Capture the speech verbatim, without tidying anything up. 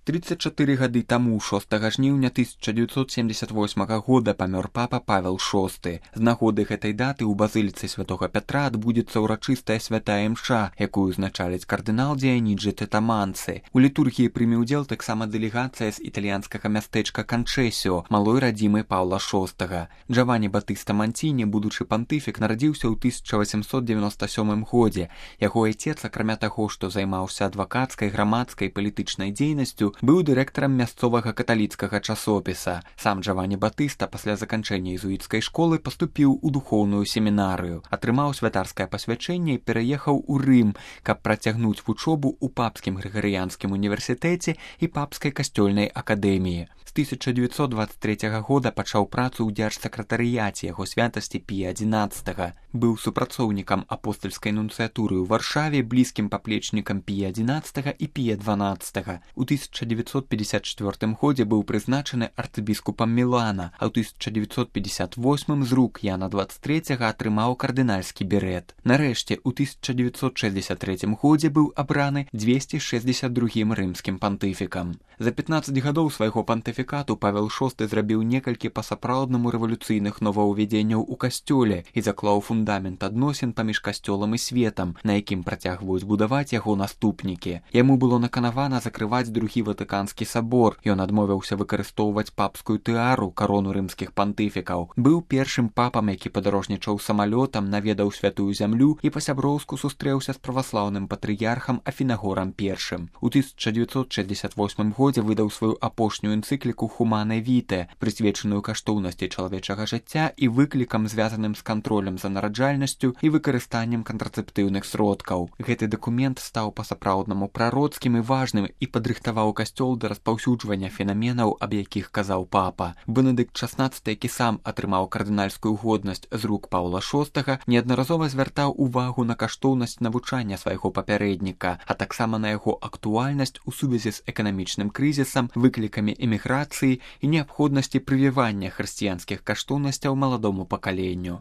тридцать чатыры гады таму шостага жніўня тысяча дзевяцьсот семьдесят восьмага года памёр папа Павел шосты. З нагоды гэтай даты ў базыліцы святога Пятра адбудзецца ўрачыстая святая імша, якую узначаліць кардынал Дзіяніджы Тэтаманцы. У літургіі прыме ўдзел таксама дэлегацыя з італьянскага мястэчка Канчэсіо, малой радзімы Паўла шостага. Джавані Батыста Манціні, будучы пантыфік, нарадзіўся ў тысяча васемсот девяносто сёмым годзе. Яго айцец, акрамя таго, што займаўся адвакацкай, грамадскай, палітычнай дзейнасцю, быў дырэктарам мясцовага каталіцкага часопіса. Сам Джавані Батыста пасля заканчэння езуіцкай школы паступіў у духоўную семінарыю, атрымаў святарскае пасвячэнне і пераехаў у Рым, каб працягнуць вучобу ў папскім грыгарыянскім універсітэце і папскай касцёльнай акадэміі. З тысяча дзевяцьсот дваццаць трэцяга года пачаў працу ў дзяржсакратарыяце яго святасці Пія адзінаццатага. Быў супрацоўнікам апостальскай нунцыятуры ў Варшаве, блізкім паплечнікам Пія адзінаццатага і Пія дванаццатага. У тысяча дзевяцьсот пятьдесят чвёртым годзе быў прызначаны арцыбіскупам Мілана, а ў тысяча дзевяцьсот пятьдесят восьмым з рук Яна дваццаць трэцяга атрымаў кардынальскі берэт. Нарэшце, у тысяча дзевяцьсот шэсцьдесят трэцім годзе быў абраны дзвесце шэсцьдесят другім рымскім пантыфікам. За пятнаццаць гадоў свайго пантыфікату Павел шосты зрабіў некалькі па-сапраўднаму рэвалюцыйных новаўвядзенняў у касцёле і заклаў фундамент адносін паміж касцёлам і светам, на якім працягваюць будаваць яго наступнікі. Яму было наканавана закрываць другі Ватыканскі сабор. Ён адмовіўся выкарыстоўваць папскую тыару, карону рымскіх пантыфікаў. Быў першым папам, які падарожнічаў самалётам, наведаў святую зямлю і па-сяброўску сустрэўся з праваслаўным патрыярхам Афінагорам першым. У тысяча дзевяцьсот шэсцьдесят восьмым годзе выдаў сваю апошнюю энцыкліку «Хумане Віте», прысвечаную каштоўнасці чалавечага жыцця і выклікам, звязаным з кантролем за нараджальнасцю і выкарыстаннем кантрацэптыўных сродкаў. Гэты дакумент стаў па-сапраўднаму прароцкім і важным і падрыхтаваў касцёл да распаўсюджвання фенаменаў, аб якіх казаў папа. Бенедыкт шаснаццаты, які сам атрымаў кардынальскую годнасць з рук Паўла шостага, неаднаразова звяртаў увагу на каштоўнасць навучання свайго папярэдніка, а таксама на яго актуальнасць у сувязі з эканамічным крызісам, выклікамі эміграцыі і неабходнасці прывівання хрысціянскіх каштоўнасцяў маладому пакаленню.